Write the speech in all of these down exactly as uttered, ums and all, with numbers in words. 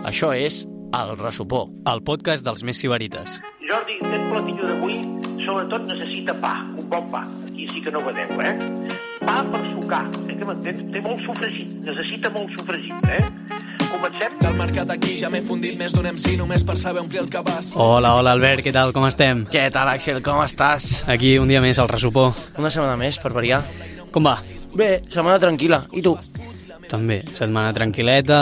Això és El Ressupó, el podcast dels més sibarites. Jordi, aquest platillo d'avui sobretot necessita pa, un bon pa. Aquí sí que no vedeu, eh? Pa per sucar, eh, que m'entens? Té molt sofregit, necessita molt sofregit, eh? Comencem? Del mercat aquí ja m'he fundit més d'un M C només per saber omplir el cabàs. Hola, hola Albert, què tal, com estem? Què tal, Axel, com estàs? Aquí un dia més al Ressupó. Una setmana més, per variar. Com va? Bé, setmana tranquil·la. I tu? També, setmana tranquil·leta.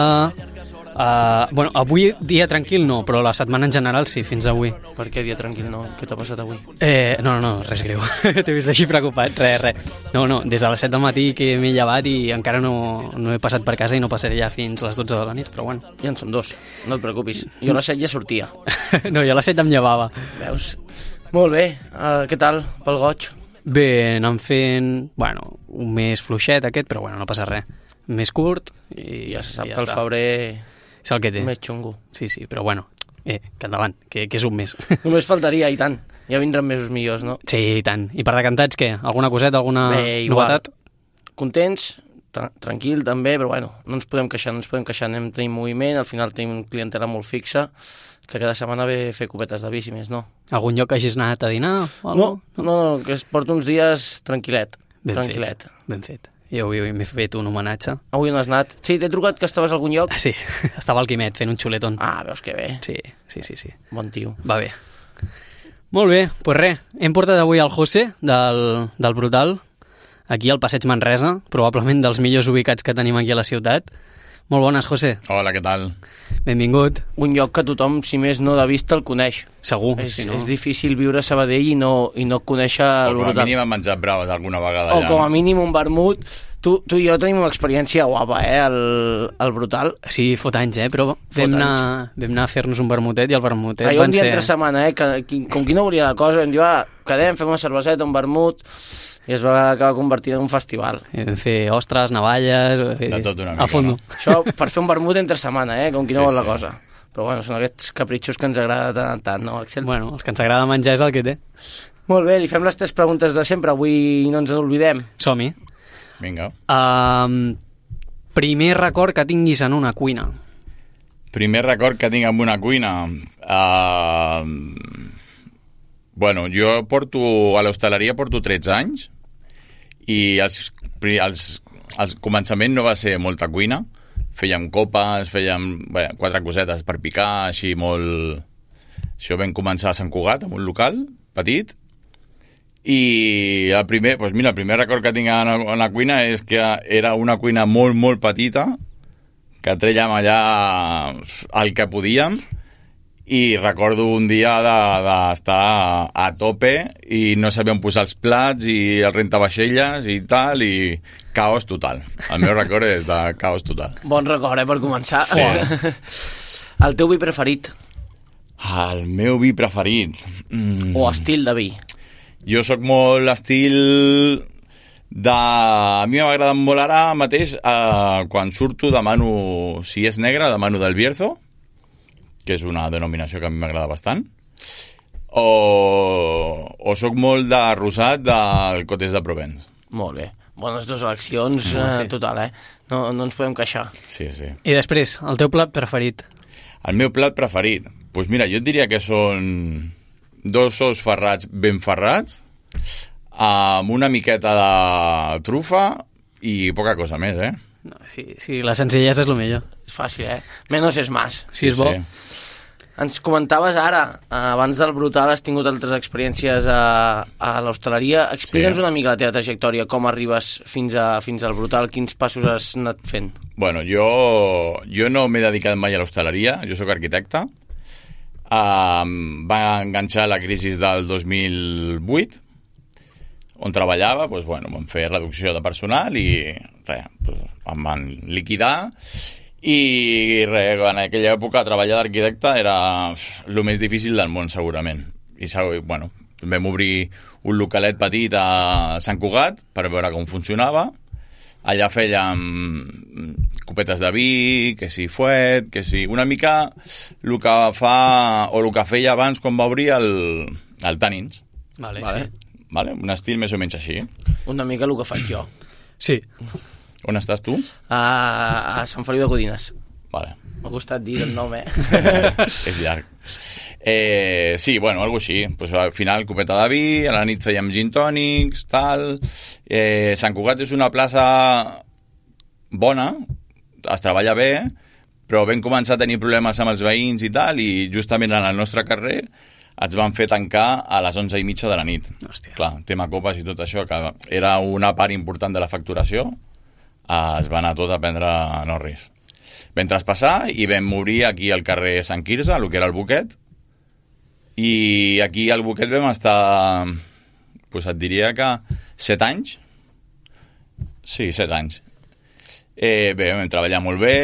Uh, bueno, avui dia tranquil no, però la setmana en general sí, fins avui. Per què dia tranquil no? Què t'ha passat avui? Eh, no, no, no, res greu. T'he vist així preocupat, res, res. No, no, des de les set del matí que m'he llevat i encara no, no he passat per casa i no passaré ja fins les dotze de la nit, però bueno. Ja en som dos, no et preocupis. Jo a les set ja sortia. No, jo a les set em llevava. Veus? Molt bé, uh, què tal pel goig? Bé, anant fent, bueno, un mes fluixet aquest, però bueno, no passa res. Més curt i Ja se sap i que el febrer és el que té. més xungo. Sí, sí, però bueno, eh, que endavant, que, que és un mes. Només faltaria, i tant. Ja vindran mesos millors, no? Sí, i tant. I per decantats, què? Alguna coseta, alguna Bé, igual. novetat? Contents, tra tranquil també, però bueno, no ens podem queixar, no ens podem queixar. Anem tenint moviment, al final tenim clientela molt fixa, que cada setmana ve a fer copetes de bici més, no? Algun lloc que hagis anat a dinar? O No, algo? no, no, que es porta uns dies tranquil·let. Ben tranquil·let. fet, ben fet. Jo avui m'he fet un homenatge. Avui on has anat? Sí, t'he trucat que estaves a algun lloc? Ah, sí, estava al Quimet fent un xuletón. Ah, veus que bé. Sí, sí, sí, sí. Bon tio. Va bé. Molt bé, doncs res, hem portat avui el José del, del Brutal, aquí al Passeig Manresa, probablement dels millors ubicats que tenim aquí a la ciutat. Molt bones, José. Hola, què tal? Benvingut. Un lloc que tothom, si més no de vista, el coneix. Segur, És, si no... és difícil viure a Sabadell i no, i no conèixer O el com a Brutal. mínim hem menjat braves alguna vegada O allà. com a mínim un vermut. Tu, tu i jo tenim una experiència guapa, eh, el, el Brutal. Sí, fot anys, eh? Però Fot vam anar, vam anar a fer-nos un vermutet i el vermutet Ahir van un dia ser... entre setmana, eh, que, qui, com qui no volia la cosa, vam dir, va, quedem, fem una cerveseta, un vermut, i es va acabar convertint en un festival. I vam fer ostres, navalles... eh, De tot una a mica, fondo. no? Això per fer un vermut entre setmana, eh, com qui no Sí, vol la sí. cosa. Però bueno, són aquests capritxos que ens agrada tant en tant, no, Axel? Bueno, els que ens agrada menjar és el que té. Molt bé, li fem les tres preguntes de sempre, avui no ens n'oblidem. Som-hi. Vinga. Um, primer record que tinguis en una cuina. Primer record que tinc amb una cuina. Uh, bueno, jo porto a l'hostaleria porto tretze anys i els, els, els començament no va ser molta cuina. Fèiem copes, fèiem bé, quatre cosetes per picar, així molt... Això vam començar a Sant Cugat, en un local petit, i el primer, doncs mira, el primer record que tinc en la, en la cuina és que era una cuina molt, molt petita, que trèiem allà el que podíem, i recordo un dia d'estar de, de a tope i no sabíem posar els plats i el rentavaixelles i tal, i caos total. El meu record és de caos total. Bon record, eh, per començar. Sí. El teu vi preferit? El meu vi preferit? Mm. O estil de vi? Jo sóc molt estil de... A mi m'agrada molt ara mateix, eh, quan surto demano, si és negre, demano del Bierzo, que és una denominació que a mi m'agrada bastant, o, o sóc molt de rosat del Cotes de Provence. Molt bé. Bones dues eleccions, Ah, sí. eh, total, eh? No, no ens podem queixar. Sí, sí. I després, el teu plat preferit. El meu plat preferit? Doncs pues mira, jo et diria que són dos ous ferrats ben ferrats, amb una miqueta de trufa i poca cosa més, eh? No, sí, sí, la senzillesa és el millor. És fàcil, eh? Menos és más. Si és bo. Ens comentaves ara, eh, abans del Brutal has tingut altres experiències a, a l'hostaleria. Explica'ns Sí. una mica la teva trajectòria, com arribes fins, a, fins al Brutal, quins passos has anat fent. Bueno, jo, jo no m'he dedicat mai a l'hostaleria, jo sóc arquitecte. Um, va enganxar la crisi del dos mil vuit, on treballava, doncs, bueno, vam fer reducció de personal i res, doncs, em van liquidar i res, en aquella època treballar d'arquitecte era el més difícil del món segurament. I bueno, vam obrir un localet petit a Sant Cugat per veure com funcionava. Allà fèiem copetes de vi, que si fuet, que si... Una mica el que fa, o el que feia abans quan va obrir el, el Tannins. Vale, Vale. sí. Vale? Un estil més o menys així. Una mica el que faig jo. Sí. On estàs tu? A, a Sant Feliu de Codines. Vale. M'ha costat dir el nom, eh? És llarg. Eh, sí, bueno, algo així. Pues, al final, copeta de vi, a la nit fèiem gin tònics, tal... Eh, Sant Cugat és una plaça bona, es treballa bé, però vam començar a tenir problemes amb els veïns i tal, i justament en el nostre carrer ens van fer tancar a les onze i mitja de la nit. Hòstia. Clar, tema copes i tot això, que era una part important de la facturació, eh, es va anar tot a prendre no res. Vam traspassar i vam obrir aquí al carrer Sant Quirze, el que era el Boquet, i aquí al Boquet vam estar, pues et diria que set anys. Sí, set anys. Eh, bé, vam treballar molt bé.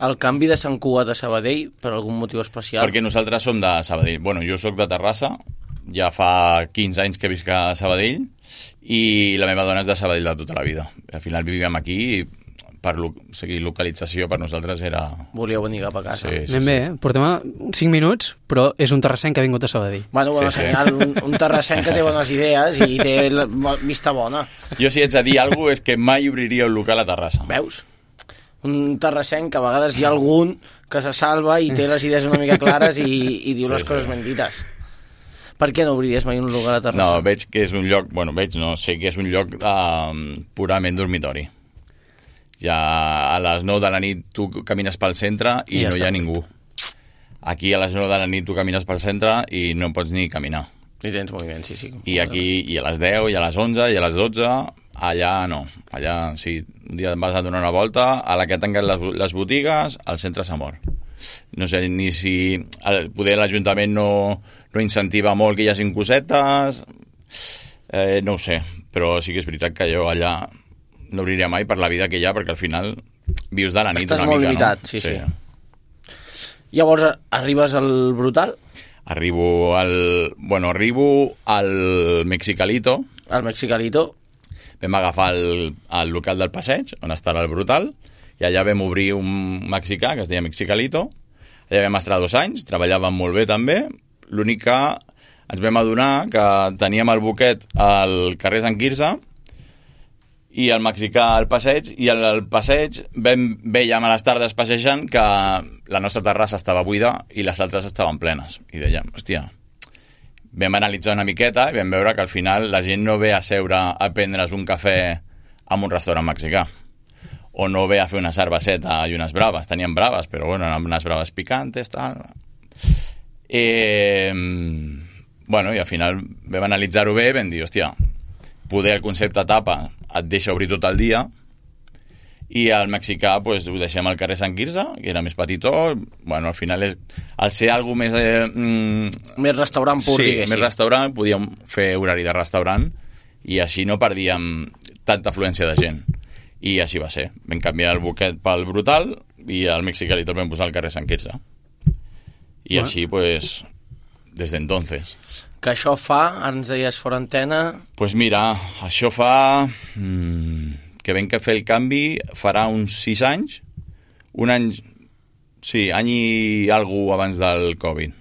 El canvi de Sant Cugat a Sabadell, per algun motiu especial? Perquè nosaltres som de Sabadell. Bueno, jo sóc de Terrassa, ja fa quinze anys que visc a Sabadell, i la meva dona és de Sabadell de tota la vida. Al final vivíem aquí i per lo, o sigui, localització per nosaltres era... Volíeu venir cap a casa. Sí, sí, Anem sí. bé, eh? Portem cinc minuts, però és un terrassenc que ha vingut a Sabadell. Bueno, bona Sí, sí. senyal, un, un terrassenc que té bones idees i té la, vista bona. Jo si haig de dir alguna cosa és que mai obriria un local a Terrassa. Veus? Un terrassenc que a vegades hi ha algun que se salva i té les idees una mica clares i, i diu Sí, les sí. coses ben dites. Per què no obriries mai un local a Terrassa? No, veig que és un lloc... Bueno, veig, no, sé que és un lloc eh, purament dormitori. Ja a les nou de la nit tu camines pel centre i, I ja no hi ha està. ningú. Aquí a les nou de la nit tu camines pel centre i no pots ni caminar. I tens moviment, sí, sí. I aquí i a les deu, i a les onze, i a les dotze, allà no. Allà, sí, un dia vas a donar una volta, a la que tanquen les, les botigues, el centre s'ha mort. No sé ni si... El, poder l'Ajuntament no, no incentiva molt que hi hagin cosetes, eh, no ho sé, però sí que és veritat que jo allà no obriria mai per la vida que hi ha, perquè al final vius de la nit Estàs una molt mica, limitat, no? sí, sí. Llavors, arribes al Brutal, Arribo al... Bueno, arribo al Mexicalito. al Mexicalito, Vam agafar el, el local del passeig, on està el Brutal, i allà vam obrir un mexicà que es deia Mexicalito. Allà vam estar dos anys, treballàvem molt bé també. L'únic que ens vam adonar que teníem el Boquet al carrer Sant Quirze i el mexicà al passeig, i al, al passeig vam, veiem a les tardes passejant que la nostra terrassa estava buida i les altres estaven plenes. I dèiem, hòstia, vam analitzar una miqueta i vam veure que al final la gent no ve a seure a prendre's un cafè en un restaurant mexicà, o no ve a fer una cerveseta i unes braves. Tenien braves, però bueno, unes braves picantes, tal. Eh, bueno, i al final vam analitzar-ho bé i vam dir, hòstia, poder el concepte tapa et deixa obrir tot el dia, i el mexicà pues, ho deixem al carrer Sant Quirze, que era més petitó. Bueno, al final és, al ser alguna més eh, mm, més restaurant pur, sí, diguéssim. més restaurant, podíem fer horari de restaurant i així no perdíem tanta afluència de gent, i així va ser. Vam canviar el Boquet pel Brutal i el Mexicalito el vam posar al carrer Sant Quirze, i Bueno. així pues des d'entonces. Que això fa, ens deies fora antena, Pues mira, això fa... Mmm, que vam que fer el canvi farà uns sis anys, un any, sí, any i alguna abans del Covid,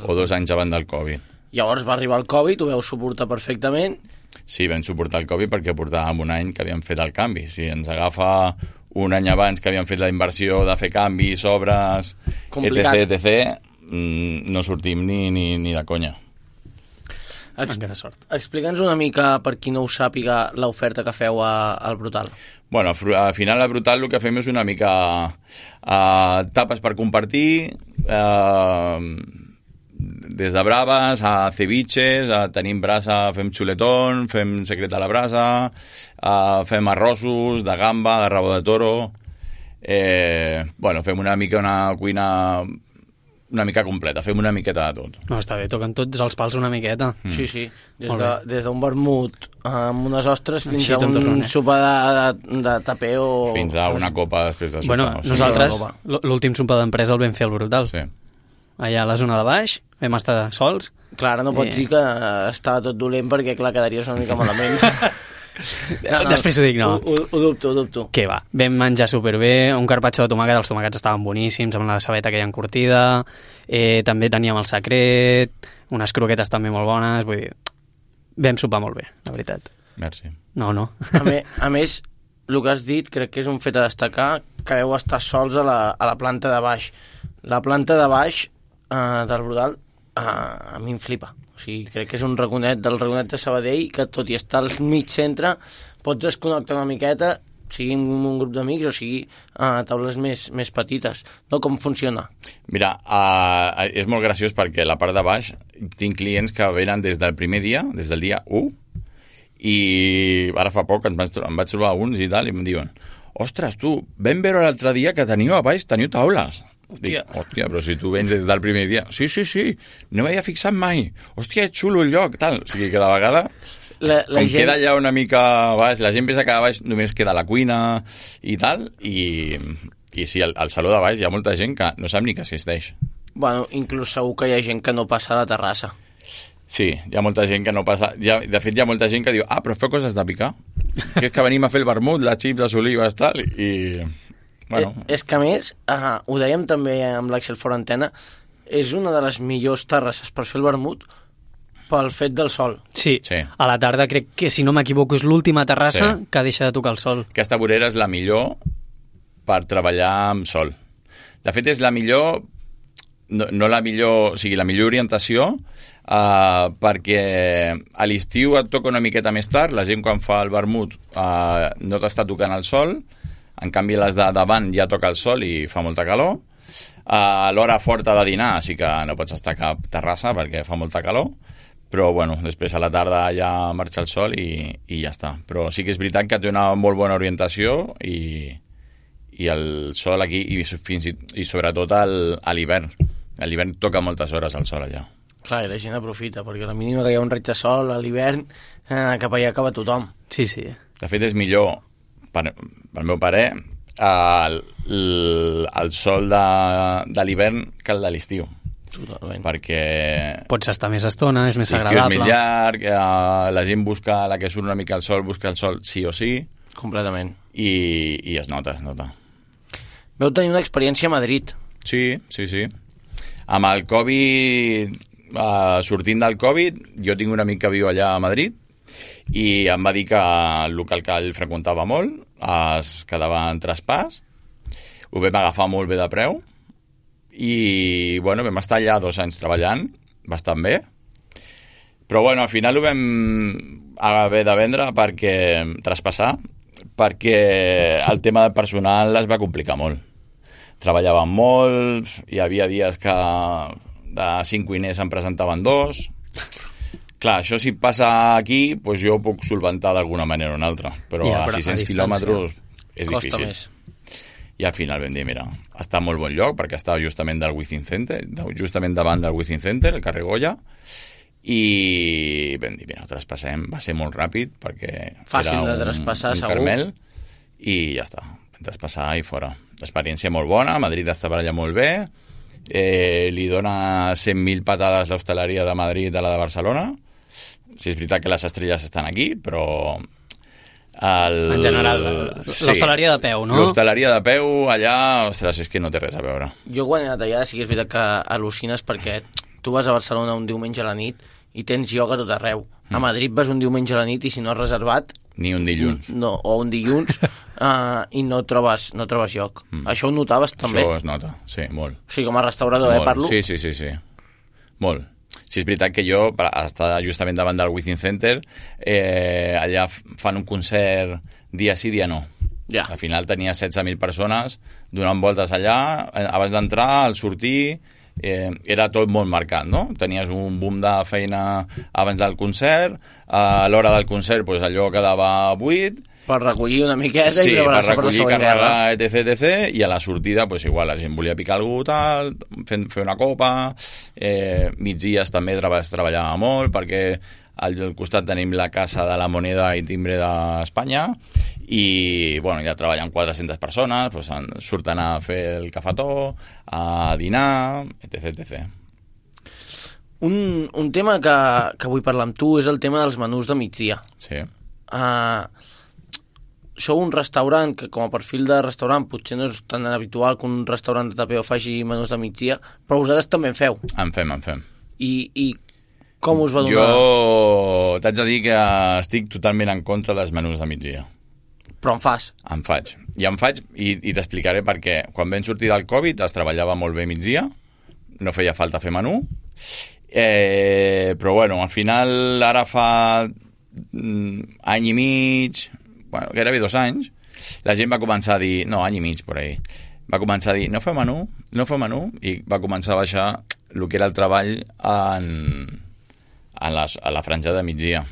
o dos anys abans del Covid. llavors va arribar el Covid, ho veu suportar perfectament, Sí, vam suportar el Covid perquè portàvem un any que havíem fet el canvi. Si ens agafa un any abans que havíem fet la inversió de fer canvis, obres, Complicat. etc, etc, mm, no sortim ni, ni, ni de conya. Ex Encara sort. explica'ns una mica, per qui no ho sàpiga, l'oferta que feu a, al Brutal. Bueno, al final a Brutal el que fem és una mica uh, tapes per compartir, uh, des de braves a ceviches, a tenim brasa, fem xuletón, fem secret a la brasa, uh, fem arrossos de gamba, de rabo de toro, eh, bueno, fem una mica una cuina una mica completa, fem una miqueta de tot. No, està bé, toquen tots els pals una miqueta. Mm. Sí, sí, des Molt de, bé. des d'un vermut amb unes ostres fins Així a te'n un torna, eh? sopar de, de, de tapeo. Fins a una copa després de sopar. Bueno, o sigui, nosaltres, no, no, l- l'últim sopar d'empresa el vam fer al Brutal. Sí. Allà a la zona de baix, vam estar sols. Clar, ara no pots Eh. dir que estava tot dolent perquè, clar, quedaries una mica malament. Després ho dic, no. Ho, ho, ho dubto, ho dubto. Què va? Vam menjar superbé, un carpaccio de tomàquet, els tomàquets estaven boníssims, amb la cebeta que hi ha encurtida, eh, també teníem el secret, unes croquetes també molt bones, vull dir, vam sopar molt bé, la veritat. Merci. No, no. A, me, a més, el que has dit crec que és un fet a destacar, que heu estar sols a la, a la planta de baix. La planta de baix eh, del Brodal eh, a mi em flipa. O sigui, crec que és un raconet del raconet de Sabadell que tot i estar al mig centre pots desconnectar una miqueta, sigui un grup d'amics o sigui a uh, taules més, més petites. No, com funciona? Mira, uh, és molt graciós perquè a la part de baix tinc clients que venen des del primer dia, des del dia u, i ara fa poc em vaig, em vaig trobar uns i tal, i em diuen, ostres, tu, vam veure l'altre dia que teniu a baix, teniu taules. Dic, hòstia, però si tu vens des del primer dia... Sí, sí, sí, no m'havia fixat mai. Hòstia, és xulo el lloc, tal. O sigui que de vegada... La, la com gent... queda allà una mica baix, la gent pensa que a baix només queda la cuina i tal, i, i sí, al, al saló de baix hi ha molta gent que no sap ni que existeix. Bueno, inclús segur que hi ha gent que no passa a la terrassa. Sí, hi ha molta gent que no passa... Ha, de fet, hi ha molta gent que diu, ah, però feu coses de picar. Que és que venim a fer el vermut, la xips, les olives, tal, i... Bueno. Eh, és que a més, uh, ho dèiem també amb l'Àxel fora antena, és una de les millors terrasses per fer el vermut pel fet del sol. Sí, sí. A la tarda crec que, si no m'equivoco, és l'última terrassa sí. que deixa de tocar el sol. Aquesta vorera és la millor per treballar amb sol. De fet, és la millor, no, no la millor, o sigui, la millor orientació, uh, perquè a l'estiu et toca una miqueta més tard, la gent quan fa el vermut uh, no t'està tocant el sol, en canvi les de davant ja toca el sol i fa molta calor. A l'hora forta de dinar sí que no pots estar a cap terrassa perquè fa molta calor, però bueno, després a la tarda ja marxa el sol i, i ja està. Però sí que és veritat que té una molt bona orientació i, i el sol aquí, i, fins i, i sobretot al, a l'hivern. A l'hivern toca moltes hores el sol allà. Clar, i la gent aprofita, perquè la mínima que hi ha un raig de sol a l'hivern, eh, cap allà acaba tothom. Sí, sí. De fet, és millor, per, pel meu parer, el, el, el sol de, de l'hivern que el de l'estiu. Totalment. Perquè... Pots estar més estona, és més l'estiu agradable. És més llarg, eh, la gent busca, la que surt una mica al sol, busca el sol sí o sí. Completament. I, i es nota, es nota. Veu tenir una experiència a Madrid. Sí, sí, sí. Amb el Covid, eh, sortint del Covid, jo tinc un amic que viu allà a Madrid i em va dir que el local que ell freqüentava molt es quedava en traspàs, ho vam agafar molt bé de preu i bueno, vam estar allà dos anys treballant bastant bé, però bueno, al final ho vam haver de vendre perquè traspassar, perquè el tema del personal es va complicar molt. Treballàvem molt, hi havia dies que de cinc cuiners en presentaven dos. Clar, això si passa aquí, doncs jo ho puc solventar d'alguna manera o una altra, però ja, a sis-cents quilòmetres és costa difícil. Més. I al final vam dir, mira, està en molt bon lloc, perquè estava justament del Within Center, justament davant del Within Center, el carrer Goya, i vam dir, mira, ho traspassem, va ser molt ràpid, perquè fàcil era de traspassar, un, un segur. carmel, i ja està, vam traspassar i fora. L'experiència molt bona, Madrid està per allà molt bé, eh, li dona cent mil patades l'hostaleria de Madrid a la de Barcelona. Sí, és veritat que les estrelles estan aquí, però... El... En general, l'hostaleria sí, de peu, no? L'hostaleria de peu allà, ostres, és que no té res a veure. Jo quan he anat allà sí que és veritat que al·lucines perquè tu vas a Barcelona un diumenge a la nit i tens ioga tot arreu. A Madrid vas un diumenge a la nit i si no has reservat... Ni un dilluns. No, o un dilluns uh, i no trobes, no trobes lloc. Mm. Això ho notaves també? Això es nota, sí, molt. O sigui, com a restaurador, molt. eh, parlo? Sí, sí, sí, sí. Molt. Sí, és veritat que jo, per estar justament davant del Within Center, eh, allà fan un concert dia sí, dia no. Ja. Al final tenia setze mil persones donant voltes allà, abans d'entrar, al sortir, eh, era tot molt marcat, no? Tenies un boom de feina abans del concert, a l'hora del concert pues, allò quedava buit, per recollir una miqueta sí, i preparar-se per per la recollir, següent carregar, guerra. etc, etc, i a la sortida, pues, igual, la gent volia picar algú, tal, fer, fer una copa, eh, migdies també es treballava molt, perquè al, al costat tenim la Casa de la Moneda i Timbre d'Espanya, i, bueno, ja treballen quatre-centes persones, pues, surten a fer el cafetó, a dinar, etc, etcètera. Un, un tema que, que vull parlar amb tu és el tema dels menús de migdia. Sí. Uh, sou un restaurant que com a perfil de restaurant potser no és tan habitual que un restaurant de tapeo faci menús de migdia, però vosaltres també en feu. En fem, en fem. I, i com us va donar? Jo t'haig de dir que estic totalment en contra dels menús de migdia. Però en fas. En faig. I en faig, i, i t'explicaré perquè quan vam sortir del Covid es treballava molt bé migdia, no feia falta fer menú, eh, però bueno, al final ara fa mm, any i mig, bueno, gairebé dos anys, la gent va començar a dir, no, any i mig, per ahí, va començar a dir, no feu menú, no feu menú, i va començar a baixar el que era el treball en, en les, a la franja de migdia.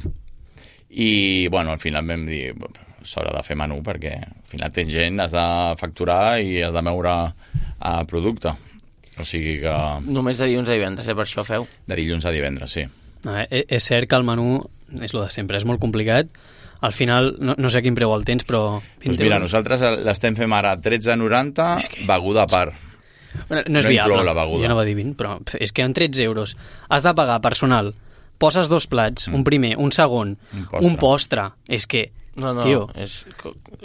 I, bueno, al final vam dir, s'haurà de fer menú perquè al final tens gent, has de facturar i has de moure a producte. O sigui que... Només de dilluns a divendres, eh? Per això feu? De dilluns a divendres, sí. Ah, és cert que el menú és el de sempre, és molt complicat. Al final, no, no sé quin preu el tens, però... Doncs mira, nosaltres l'estem fent ara tretze noranta, que... beguda a part. Bueno, no és no viable, la beguda. Jo no va dir vint, però és que en tretze euros has de pagar personal, poses dos plats, mm. un primer, un segon, un postre, un postre. És que, no, no, tio, és...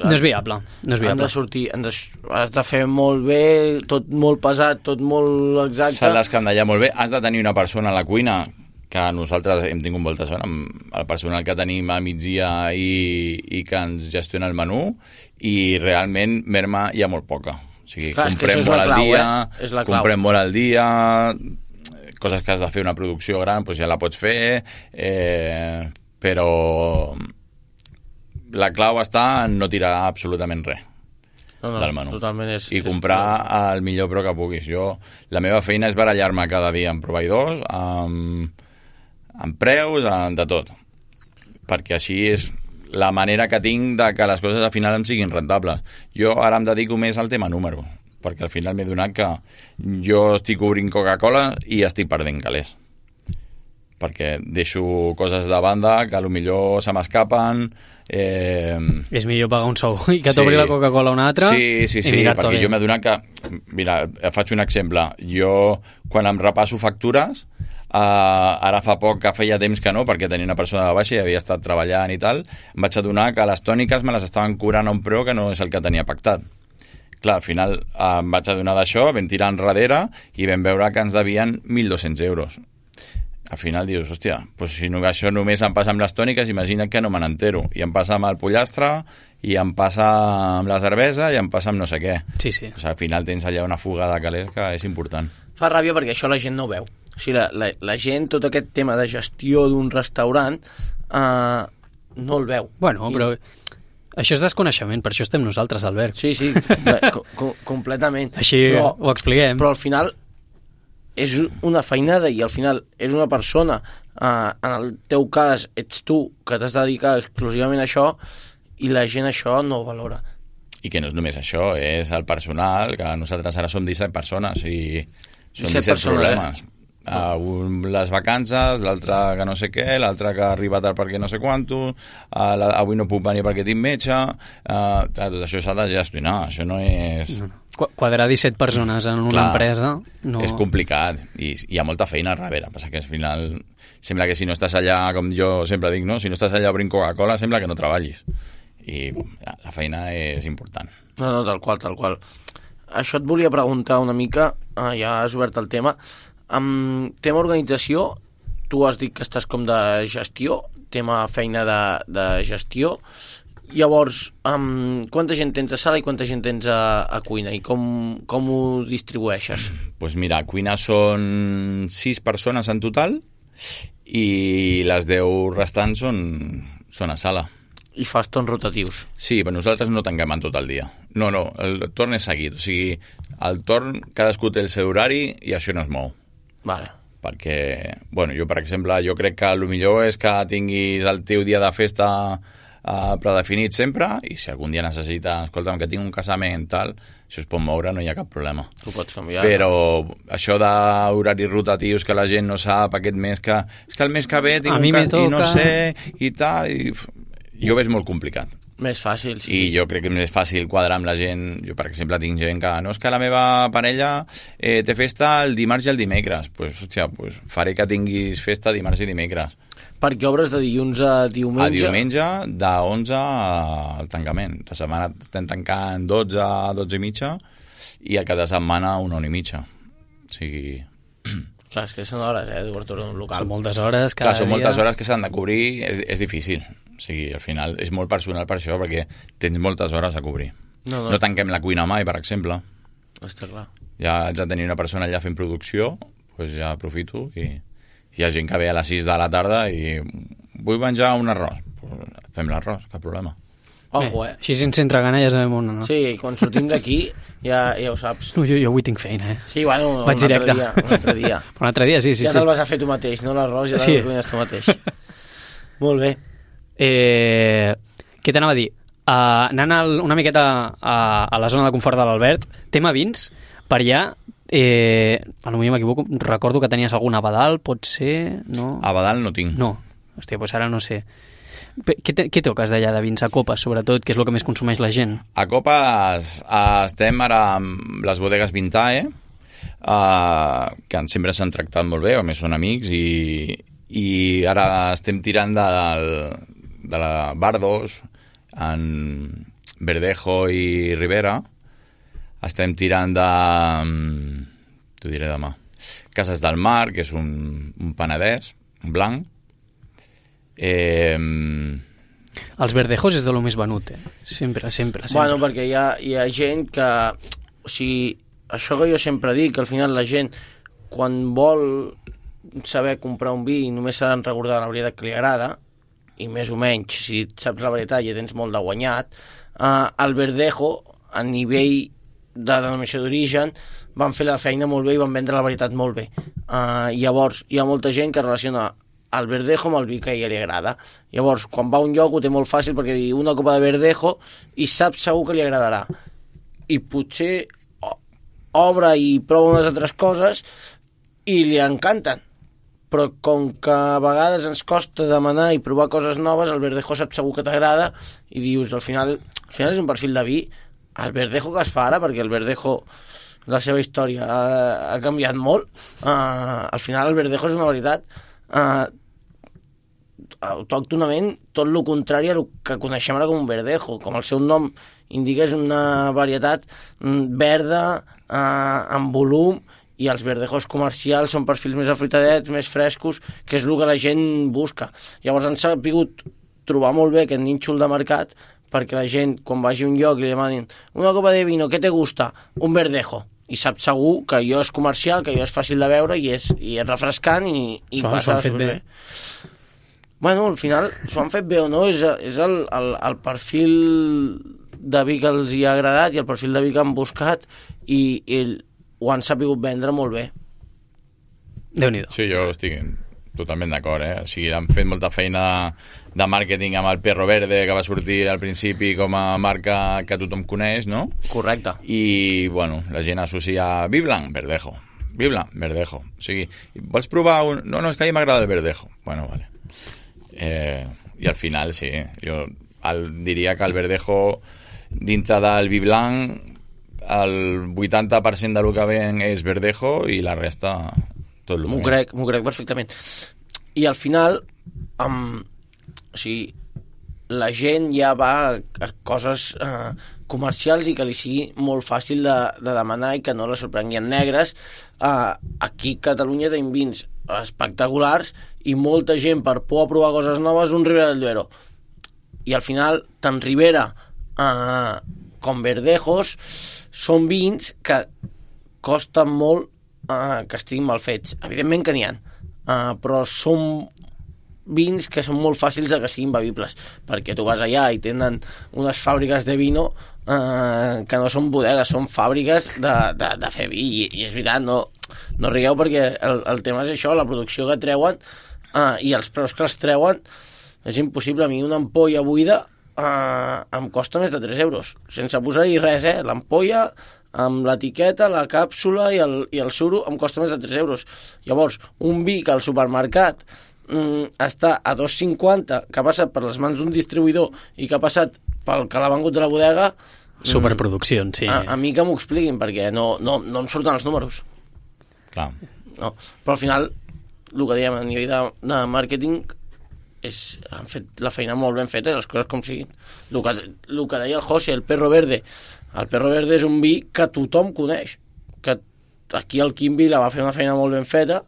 no és viable. No és viable. Han de sortir, han de... has de fer molt bé, tot molt pesat, tot molt exacte. S'ha d'escandallar molt bé, has de tenir una persona a la cuina, que nosaltres hem tingut molta sort amb el personal que tenim a migdia i, i que ens gestiona el menú, i realment merma hi ha molt poca. O sigui, clar, comprem molt al dia, eh? comprem molt al dia, coses que has de fer una producció gran, doncs ja la pots fer, eh, però la clau està en no tirar absolutament res no, no, del menú. És, i comprar és... el millor preu que puguis. Jo, la meva feina és barallar-me cada dia amb proveïdors, amb, amb preus, amb de tot. Perquè així és la manera que tinc de que les coses al final em siguin rentables. Jo ara em dedico més al tema número, perquè al final m'he donat que jo estic obrint Coca-Cola i estic perdent calés. Perquè deixo coses de banda que potser se m'escapen. Eh... És millor pagar un sou i que t'obri sí. la Coca-Cola una altra. Sí, sí, sí, perquè bé. Jo m'he donat que... Mira, faig un exemple. Jo, quan em repasso factures, eh, ara fa poc que feia temps que no, perquè tenia una persona de baixa i havia estat treballant i tal, em vaig adonar que les tòniques me les estaven cobrant a un preu que no és el que tenia pactat. Clar, al final eh, em vaig adonar d'això, vam tirar enrere i vam veure que ens devien mil dos-cents euros. Al final dius, hòstia, pues si no, això només em passa amb les tòniques, imagina't que no me n'entero. I em passa amb el pollastre, i em passa amb la cervesa, i em passa amb no sé què. Sí, sí. O sigui, al final tens allà una fuga de calés que és important. Fa ràbia perquè això la gent no ho veu. O sigui, la, la, la gent, tot aquest tema de gestió d'un restaurant, eh, no el veu. Bueno, I... però... Això és desconeixement, per això estem nosaltres, Albert. Sí, sí, co co completament. Així però, ho expliquem. Però al final és una feinada i al final és una persona, eh, en el teu cas ets tu que t'has de dedicar exclusivament a això i la gent això no ho valora. I que no és només això, és el personal, que nosaltres ara som disset persones i són disset, disset problemes. Eh? Uh, un, les vacances, l'altre que no sé què, l'altre que ha arribat tard perquè no sé quanto, uh, la, avui no puc venir perquè tinc metge, uh, tot això s'ha de gestionar, això no és... No, no. Quadrar disset persones en una Clar, empresa... No... És complicat i hi ha molta feina al darrere, passa que al final sembla que si no estàs allà, com jo sempre dic, no? Si no estàs allà obrint Coca-Cola sembla que no treballis i ja, la feina és important. No, no, tal qual, tal qual. Això et volia preguntar una mica, uh, ja has obert el tema. Amb tema organització, tu has dit que estàs com de gestió, tema feina de, de gestió. Llavors, um, quanta gent tens a sala i quanta gent tens a, a cuina? I com, com ho distribueixes? Doncs pues mira, a cuina són sis persones en total i les deu restants són, són a sala. I fas torns rotatius? Sí, però nosaltres no tanquem en tot el dia. No, no, el torn és seguit. O sigui, el torn, cadascú té el seu horari i això no es mou. Vale. Perquè, bueno, jo, per exemple, jo crec que el millor és que tinguis el teu dia de festa uh, predefinit sempre i si algun dia necessita, escolta'm, que tinc un casament, tal, això es pot moure, no hi ha cap problema. Tu pots canviar. Però no? Això d'horaris rotatius que la gent no sap, aquest mes que... És que el mes que ve tinc a un cas i no sé, i tal... I... Jo ho veig molt complicat. Més fàcil, sí. I jo crec que és més fàcil quadrar amb la gent. Jo, per exemple, tinc gent que... No, és que la meva parella eh, té festa el dimarts i el dimecres. Doncs, pues, hòstia, pues, faré que tinguis festa dimarts i dimecres. Perquè obres de dilluns a diumenge? A diumenge, de onze al tancament. La setmana estem tancant dotze a dotze i mitja i el cap de setmana una hora i mitja. O sigui... Clar, és que són hores, eh, d'obertura d'un local. Són moltes hores cada Clar, són dia. moltes hores que s'han de cobrir, és, és difícil. O sigui, al final és molt personal per això, perquè tens moltes hores a cobrir. No, no. No tanquem la cuina mai, per exemple. Està clar. Ja haig de tenir una persona allà fent producció, doncs ja aprofito i hi ha gent que ve a les sis de la tarda i vull menjar un arròs. Pues fem l'arròs, cap problema. Ojo, eh? Així sense entreganar ja sabem on, no? Sí, i quan sortim d'aquí ja, ja ho saps. No, jo, jo avui tinc feina, eh? Sí, bueno, un Vaig altre directe. dia. Un altre dia. Però un altre dia, sí, sí. ja sí. te'l vas a fer tu mateix, no l'arròs, ja Sí. te'l cuines tu mateix. Molt bé. Eh, què t'anava a dir? Uh, anant al, una miqueta a, a la zona de confort de l'Albert, tema vins, per allà, eh, a lo millor m'equivoco, recordo que tenies algun Abadal, pot ser... No, A Badal no tinc. no. Hòstia, doncs ara no sé. Pe- Què, te, què toques d'allà de vins a copes, sobretot, que és el que més consumeix la gent? A Copes eh, estem ara amb les bodegues Vintae, eh, que sempre s'han tractat molt bé, a més són amics, i, i ara estem tirant del, de la Bardos, en Verdejo i Ribera. Estem tirant de... T'ho diré demà. Cases del Mar, que és un, un penedès, un blanc. Eh, Els verdejos és de lo més venut, eh? Sempre, sempre, sempre. Bueno, perquè hi ha, hi ha gent que... O sigui, això que jo sempre dic, que al final la gent, quan vol saber comprar un vi, només s'ha de recordar la veritat que li agrada, i més o menys, si saps la veritat ja tens molt de guanyat, eh, el Verdejo, a nivell de denominació d'origen, van fer la feina molt bé i van vendre la veritat molt bé. Eh, llavors, hi ha molta gent que relaciona el Verdejo amb el vi que a ella li agrada. Llavors, quan va a un lloc ho té molt fàcil perquè diu una copa de Verdejo i sap segur que li agradarà. I potser obre i prova unes altres coses i li encanten. Però com que a vegades ens costa demanar i provar coses noves, el Verdejo sap segur que t'agrada i dius, al final, al final és un perfil de vi. El Verdejo que es fa ara, perquè el Verdejo, la seva història ha, ha canviat molt, uh, al final el Verdejo és una veritat uh, autòctonament tot el contrari a el que coneixem ara com un Verdejo. Com el seu nom indica, és una varietat verda, uh, amb volum, i els verdejos comercials són perfils més afruitadets, més frescos, que és el que la gent busca. Llavors han sabut trobar molt bé aquest nínxol de mercat perquè la gent, quan vagi a un lloc i li demanin una copa de vino, què te gusta? Un verdejo. I sap segur que allò és comercial, que allò és fàcil de veure i és, i és refrescant i, i S'ho passa han fet bé. bé. Bueno, al final, s'ho han fet bé o no, és, és el, el, el perfil de vi que els hi ha agradat i el perfil de vi que han buscat i, i ho han sapigut vendre molt bé. Déu-n'hi-do. Sí, jo estic totalment d'acord, eh? O sigui, han fet molta feina de màrqueting amb el Perro Verde, que va sortir al principi com a marca que tothom coneix, no? Correcte. I, bueno, la gent associa vi blanc, verdejo. Vi blanc, verdejo. O sigui, vols provar un... No, no, és que a mi m'agrada el verdejo. Bueno, vale. Eh, I al final, sí, jo el, diria que el verdejo, dintre del vi blanc, el vuitanta per cent del que ven és verdejo i la resta tot el M'ho crec, m'ho crec perfectament. I al final, um, o sigui, la gent ja va a coses uh, comercials i que li sigui molt fàcil de, de demanar i que no la sorprenguin negres. Uh, aquí a Catalunya tenim vins espectaculars i molta gent, per por a provar coses noves, un Ribera del Duero. I al final, tant Ribera uh, com Verdejos són vins que costen molt uh, que estiguin mal fets. Evidentment que n'hi ha, uh, però són vins que són molt fàcils de que siguin bevibles, perquè tu vas allà i tenen unes fàbriques de vino uh, que no són bodegues, són fàbriques de, de, de fer vi, i, i és veritat, no, no rigueu perquè el, el tema és això, la producció que treuen uh, i els preus que els treuen és impossible. A mi una ampolla buida Uh, em costa més de tres euros, sense posar-hi res, eh? L'ampolla amb l'etiqueta, la càpsula i el, i el suro em costa més de tres euros. Llavors, un vi que al supermercat mm, està a dos cinquanta, que ha passat per les mans d'un distribuïdor i que ha passat pel que l'ha vengut de la bodega... Superproduccions, sí. A, a mi que m'ho expliquin, perquè no, no, no em surten els números. Clar. No. Però al final, el que dèiem a nivell de, de màrqueting... És, han fet la feina molt ben feta, les coses com siguin. El que, el que deia el José, el Perro Verde. El Perro Verde és un vi que tothom coneix, que aquí el Quimby la va fer una feina molt ben feta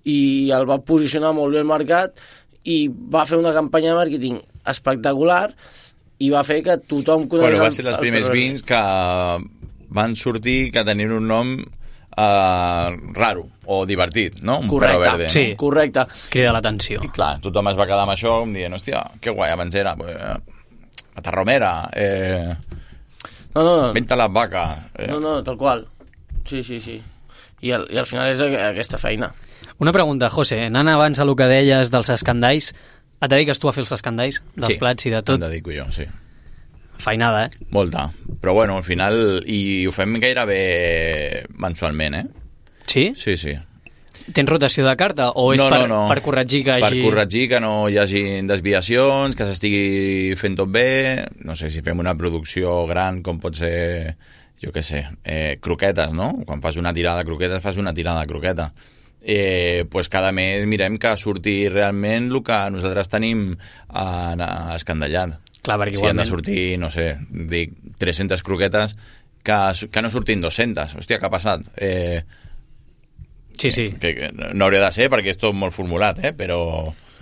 i el va posicionar molt bé al mercat i va fer una campanya de màrqueting espectacular i va fer que tothom conegués... Bueno, va ser els primers vins que van sortir que tenien un nom uh, raro o divertit, no? Un correcte, perro verde. sí. No? Correcte. Crida l'atenció. I clar, tothom es va quedar amb això dient, hòstia, que guai, abans era eh, Matarromera, eh, No, no, no. Venta les vaques. Eh. No, no, tal qual. Sí, sí, sí. I al, i al final és aquesta feina. Una pregunta, José, anant abans a el que deies dels escandalls, et dediques tu a fer els escandalls dels sí, plats i de tot? em dedico jo, sí. Feinada, eh? Molta. Però bueno, al final... I ho fem gairebé mensualment, eh? Sí? Sí, sí. Tens rotació de carta o és no, per, no, no. per corregir que hagi... Per corregir que no hi hagi desviacions, que s'estigui fent tot bé. No sé, si fem una producció gran com pot ser, jo què sé, eh, croquetes, no? Quan fas una tirada de croquetes, fas una tirada de croqueta. Eh, pues cada mes mirem que surti realment el que nosaltres tenim eh, escandallat. Clar, perquè si igualment... han de sortir, no sé, dic, tres-centes croquetes que, que no surtin dues-centes. Hòstia, què ha passat? Eh, Sí, sí. Que, que no hauria de ser perquè és tot molt formulat, eh? Però...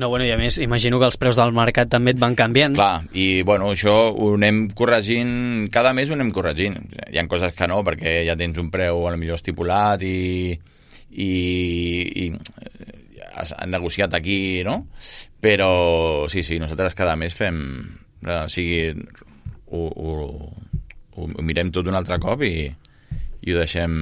No, bueno, i a més, imagino que els preus del mercat també et van canviant. Clar, i bueno, això ho anem corregint, cada mes ho anem corregint. Hi ha coses que no, perquè ja tens un preu a lo millor estipulat i, i, i has negociat aquí, no? Però sí, sí, nosaltres cada mes fem... O sigui, ho, ho, ho, ho mirem tot un altre cop i, i ho deixem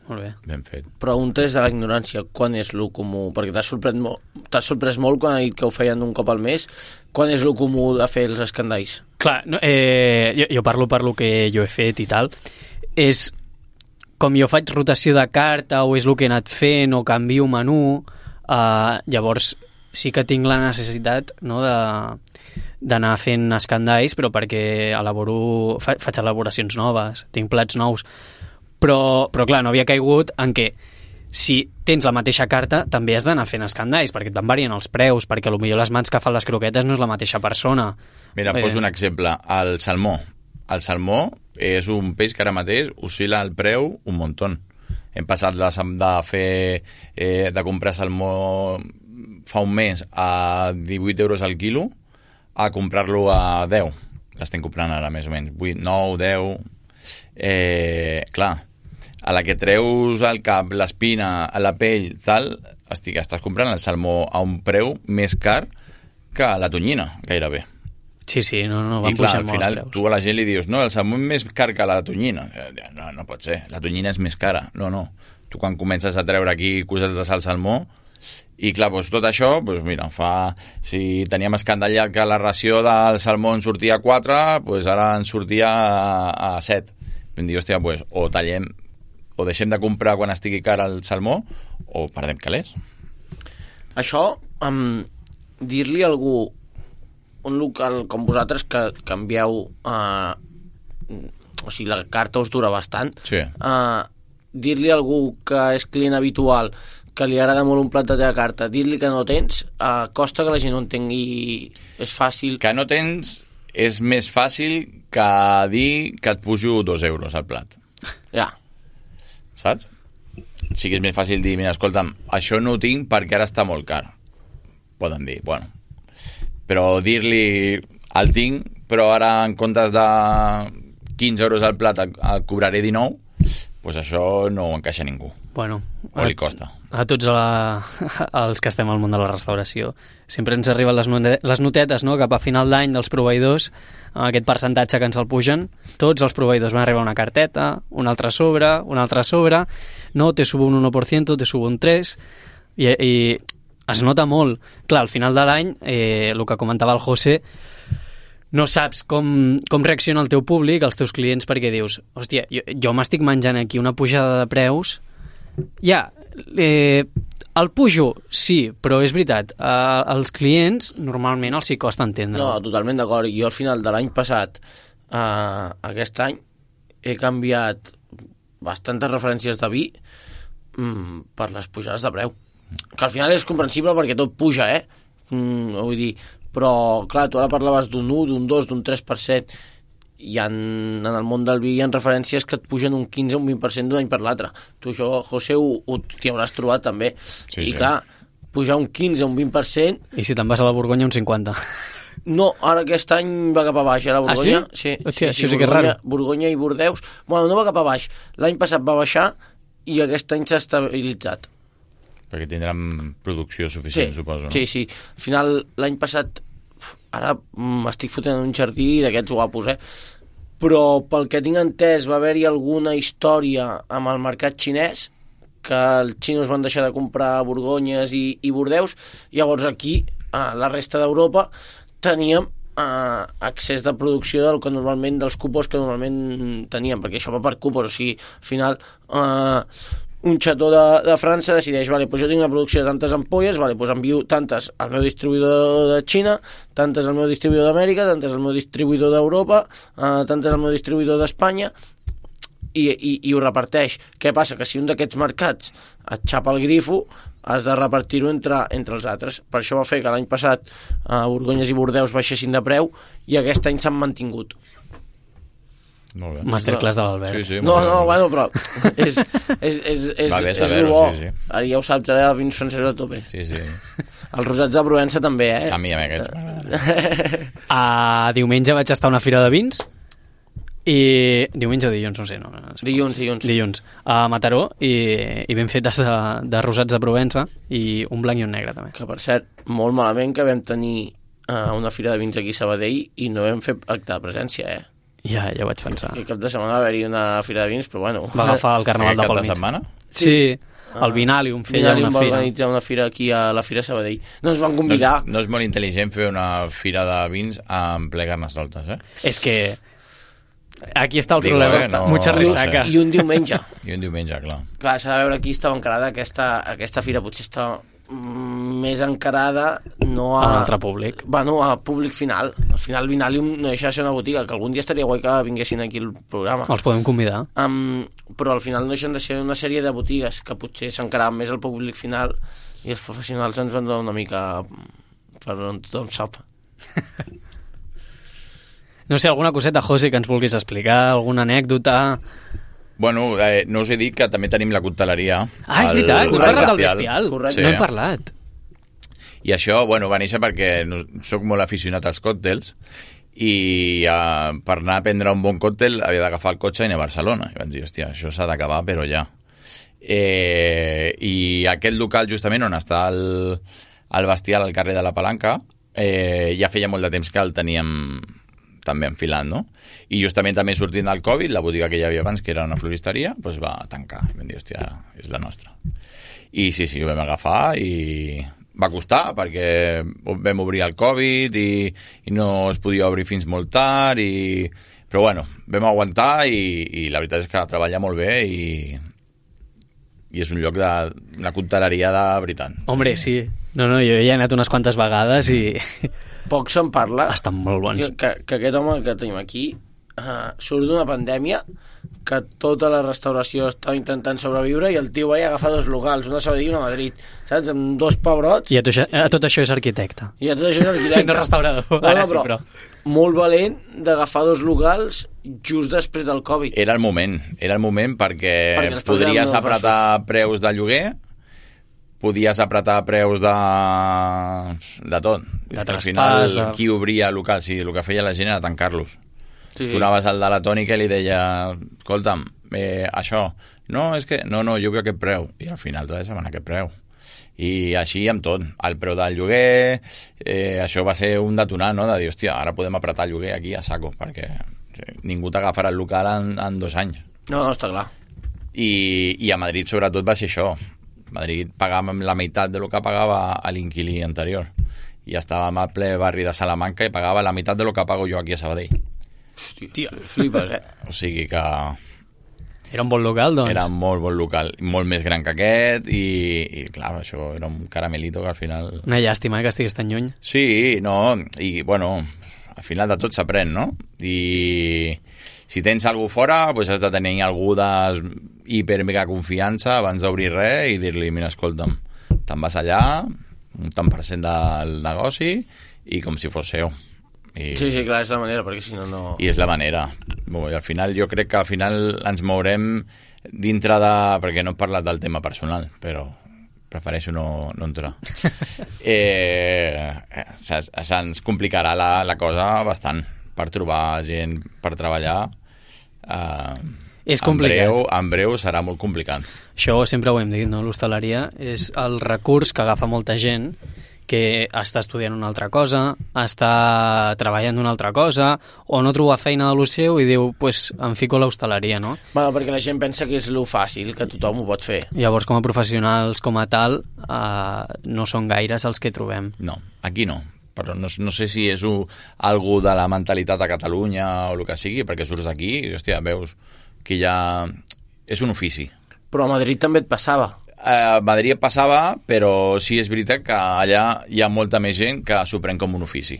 Molt bé. ben fet. Preguntes de la ignorància, quan és lo comú? Perquè t'has sorprès, molt, t'has sorprès molt quan ha dit que ho feien un cop al mes. Quan és lo comú de fer els escandalls? Clar, no, eh, jo, jo parlo per lo que jo he fet i tal. És com jo faig rotació de carta o és el que he anat fent o canvio menú, eh, llavors sí que tinc la necessitat, no, de d'anar fent escandalls, però perquè elaboro, fa, faig elaboracions noves, tinc plats nous, però, però clar, no havia caigut en què si tens la mateixa carta també has d'anar fent escandalls, perquè et van varien els preus, perquè potser les mans que fan les croquetes no és la mateixa persona. Mira, eh... poso un exemple, el salmó. El salmó és un peix que ara mateix oscil·la el preu un muntó. Hem passat de, de fer eh, de comprar salmó fa un mes a divuit euros al quilo a comprar-lo a deu. L'estem comprant ara més o menys vuit, nou, deu. Eh, clar, a la que treus el cap, l'espina, la pell, tal, estic, estàs comprant el salmó a un preu més car que la tonyina, gairebé. Sí, sí, no, no van I clar, pujant al molt final els preus. tu a la gent li dius no, el salmó és més car que la tonyina. No, no pot ser, la tonyina és més cara. No, no, tu quan comences a treure aquí cosetes al salmó i clar, doncs tot això, doncs mira, fa... Si teníem escandallat que la ració del salmó en sortia a quatre, doncs ara en sortia a, a set. Vam dir, hòstia, doncs o tallem, o deixem de comprar quan estigui car el salmó, o perdem calés. Això, um, dir-li a algú, un local com vosaltres que canvieu, uh, o sigui, la carta us dura bastant, Sí. uh, dir-li a algú que és client habitual, que li agrada molt un plat de teva carta, dir-li que no tens, uh, costa que la gent ho entengui, és fàcil. Que no tens és més fàcil que dir que et pujo dos euros al plat. Ja. Saps? Sí que és més fàcil dir, mira, escolta'm, això no ho tinc perquè ara està molt car. Poden dir, bueno. Però dir-li, el tinc, però ara en comptes de quinze euros al plat el, el cobraré dinou, doncs això no ho encaixa a ningú. Bueno, O li costa. A tots la, els que estem al món de la restauració sempre ens arriben les, note, les notetes, no?, cap a final d'any dels proveïdors, aquest percentatge que ens el pugen. Tots els proveïdors van arribar una carteta, un altre sobre, un altre sobre, no, te subo un uno por ciento, te subo un tres, i, i es nota molt. Clar, al final de l'any, eh, el que comentava el José, no saps com, com reacciona el teu públic, els teus clients, perquè dius, hòstia, jo, jo m'estic menjant aquí una pujada de preus, ja, eh, el pujo, sí, però és veritat, eh, els clients normalment els hi costa entendre. No, totalment d'acord. Jo al final de l'any passat, eh, aquest any, he canviat bastantes referències de vi mm, per les pujades de preu. Que al final és comprensible perquè tot puja, eh? Mm, vull dir, però, clar, tu ara parlaves d'un u, d'un dos, d'un tres per cent, i en, en el món del vi hi ha referències que et pugen un quinze o un vint per cent d'un any per l'altre. Tu això, José, ho, ho t'hi hauràs trobat també. Sí, I sí. clar, pujar un quinze, un vint per cent. I si te'n vas a la Borgonya, un cinquanta. No, ara aquest any va cap a baix, ara Borgonya. Ah, sí? Sí, Hòstia, sí, sí, això sí que és Borgonya, raro. Borgonya i Bordeus. Bueno, no va cap a baix. L'any passat va baixar i aquest any s'ha estabilitzat. Perquè tindran producció suficient, Sí, suposo, no? sí, sí. Al final, l'any passat, ara m'estic fotent en un jardí d'aquests guapos, eh? Però pel que tinc entès va haver-hi alguna història amb el mercat xinès, que els xinos van deixar de comprar Borgonyes i, i Bordeus, llavors aquí, a la resta d'Europa, teníem eh, accés de producció del que normalment, dels cupos que normalment teníem, perquè això va per cupos, o sigui, al final eh, un xató de, de França decideix, vale, doncs jo tinc una producció de tantes ampolles, vale, doncs envio tantes al meu distribuïdor de Xina, tantes al meu distribuïdor d'Amèrica, tantes al meu distribuïdor d'Europa, eh, tantes al meu distribuïdor d'Espanya, i, i, i ho reparteix. Què passa? Que si un d'aquests mercats et xapa el grifo, has de repartir-ho entre, entre els altres. Per això va fer que l'any passat eh, Borgonyes i Bordeus baixessin de preu i aquest any s'han mantingut. Molt bé. Masterclass de l'Albert. Sí, sí, No, molt bé, no, molt bé. bueno, però és, és, és, és, Va bé és saber-ho, lo bo. sí, sí. Ara ja ho saps, ara vins francesos a tope. Sí, sí. Els rosats de Provença també, eh? A mi, a mi aquests m'agraden. A diumenge vaig estar a una fira de vins i diumenge o dilluns, no sé, no, no sé. Dilluns, dilluns. Dilluns, a Mataró, i, i ben fetes de, de rosats de Provença i un blanc i un negre també. Que per cert, molt malament que vam tenir uh, una fira de vins aquí a Sabadell i no vam fer acte de presència, eh? Ja, ja ho vaig pensar. Aquest cap de setmana va haver-hi una fira de vins, però bueno. Va agafar el carnaval Aquest de cap pel de mig. setmana? Sí, el Vinalium feia Vinalium una va fira. organitzar una fira aquí a la Fira Sabadell. No ens van No és, convidar. no és molt intel·ligent fer una fira de vins en ple Carnestoltes, eh? És que aquí està el Digo, problema, eh, no, mucha no risaca. sé. I un diumenge. I un diumenge, clar. Clar, s'ha de veure qui estava encarada. Aquesta, aquesta fira potser està mm, més encarada no a... A un altre públic. Bueno, a públic final. Al final Vinalium no deixa de ser una botiga, que algun dia estaria guai que vinguessin aquí al programa. Els podem convidar. Um, però al final no deixen de ser una sèrie de botigues que potser s'encaraven més al públic final i els professionals ens van donar una mica per on tothom sap. No sé, alguna coseta, José, que ens vulguis explicar, alguna anècdota... Bueno, eh, no us he dit que també tenim la cocteleria. Ah, és al- veritat, no al hem parlat del Bestial. bestial. Correcte. No hem parlat. I això, bueno, va néixer perquè no, soc molt aficionat als còctels i uh, per anar a prendre un bon còctel havia d'agafar el cotxe i anar a Barcelona. I vaig dir, hòstia, això s'ha d'acabar, però ja. Eh, I aquest local, justament, on està el, el Bestial, al carrer de la Palanca, eh, ja feia molt de temps que el teníem també enfilant, no? I justament també sortint del Covid, la botiga que hi havia abans, que era una floristeria, doncs va tancar. I vam dir, hòstia, ara és la nostra. I sí, sí, ho vam agafar i va costar perquè vam obrir el Covid i, i no es podia obrir fins molt tard, i... però bueno, vam aguantar i, i la veritat és que treballa molt bé i, i és un lloc de una cocteleria de veritat. Hombre, sí. No, no, jo ja he anat unes quantes vegades i Poc se'n parla estan molt bons. que, que, que aquest home que tenim aquí uh, surt d'una pandèmia que tota la restauració estava intentant sobreviure i el tio va agafar dos locals, una a Sabadell i una a Madrid, saps? Amb dos pebrots I a, to, a tot això és arquitecte. i a tot això és arquitecte. No restaurador, ara sí, però... Molt valent d'agafar dos locals just després del Covid. Era el moment, era el moment perquè, Perquè els preus eren podries molt apretar preus de lloguer, podies apretar preus de, de tot. De Al traspàs, final, de- qui obria local? Sí, el que feia la gent era tancar-los. Sí, Tu anaves al de la tònica i li deia, escolta'm, eh, això, no, és que, no, no, jo vull aquest preu. I al final te deixaven aquest preu. I així amb tot, el preu del lloguer, eh, això va ser un detonant, no?, de dir, hòstia, ara podem apretar el lloguer aquí a saco, perquè ningú t'agafarà el local en, en dos anys. No, no, està clar. I, i a Madrid sobretot va ser això. A Madrid pagàvem la meitat de lo que pagava a l'inquilí anterior. I estàvem al ple barri de Salamanca i pagava la meitat de lo que pago jo aquí a Sabadell. Hòstia, Tia. flipes, eh? O sigui que Era un bon local, doncs. era molt bon local, molt més gran que aquest i, i clar, això era un caramelito que al final... Una llàstima, eh, que estigués tan lluny. Sí, no, i bueno, al final de tot s'aprèn, no? I si tens algú fora, doncs has de tenir algú de hiper mega confiança abans d'obrir res i dir-li, mira, escolta'm, te'n vas allà, un tant per cent del negoci i com si fos seu. I, Sí, sí, clar, és la manera, perquè si no, no... i és la manera. Bueno, i al final, jo crec que al final ens mourem dintre de... perquè no he parlat del tema personal, però prefereixo no, no entrar. eh, se'ns complicarà la, la cosa bastant per trobar gent per treballar. Eh, és complicat. En breu, en breu serà molt complicat. Això sempre ho hem dit, no? L'hostaleria és el recurs que agafa molta gent que està estudiant una altra cosa, està treballant una altra cosa, o no troba feina de lo seu i diu, pues, em fico a l'hostaleria, no? Bueno, perquè la gent pensa que és lo fàcil, que tothom ho pot fer. Llavors, com a professionals, com a tal, eh, no són gaires els que trobem. No, aquí no. Però no, no sé si és un, algú de la mentalitat a Catalunya o el que sigui, perquè surts aquí i, hòstia, veus que ja és un ofici. Però a Madrid també et passava. A Madrid passava, però sí és veritat que allà hi ha molta més gent que s'ho pren com un ofici.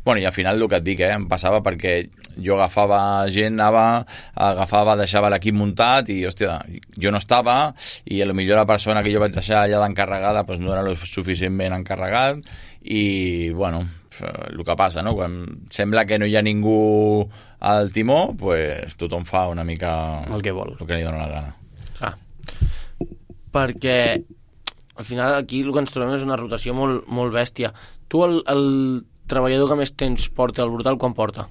Bueno, i al final el que et dic, eh, em passava perquè jo agafava gent, anava, agafava, deixava l'equip muntat i, hòstia, jo no estava i a lo millor la persona que jo vaig deixar allà d'encarregada pues, no era lo suficientment encarregat i, bueno, el que passa, no? Quan sembla que no hi ha ningú al timó, pues, tothom fa una mica el que vol, el que li dona la gana. Ah. Perquè al final aquí el que ens trobem és una rotació molt, molt bèstia. Tu el, el treballador que més temps porta al Brutal, quan porta?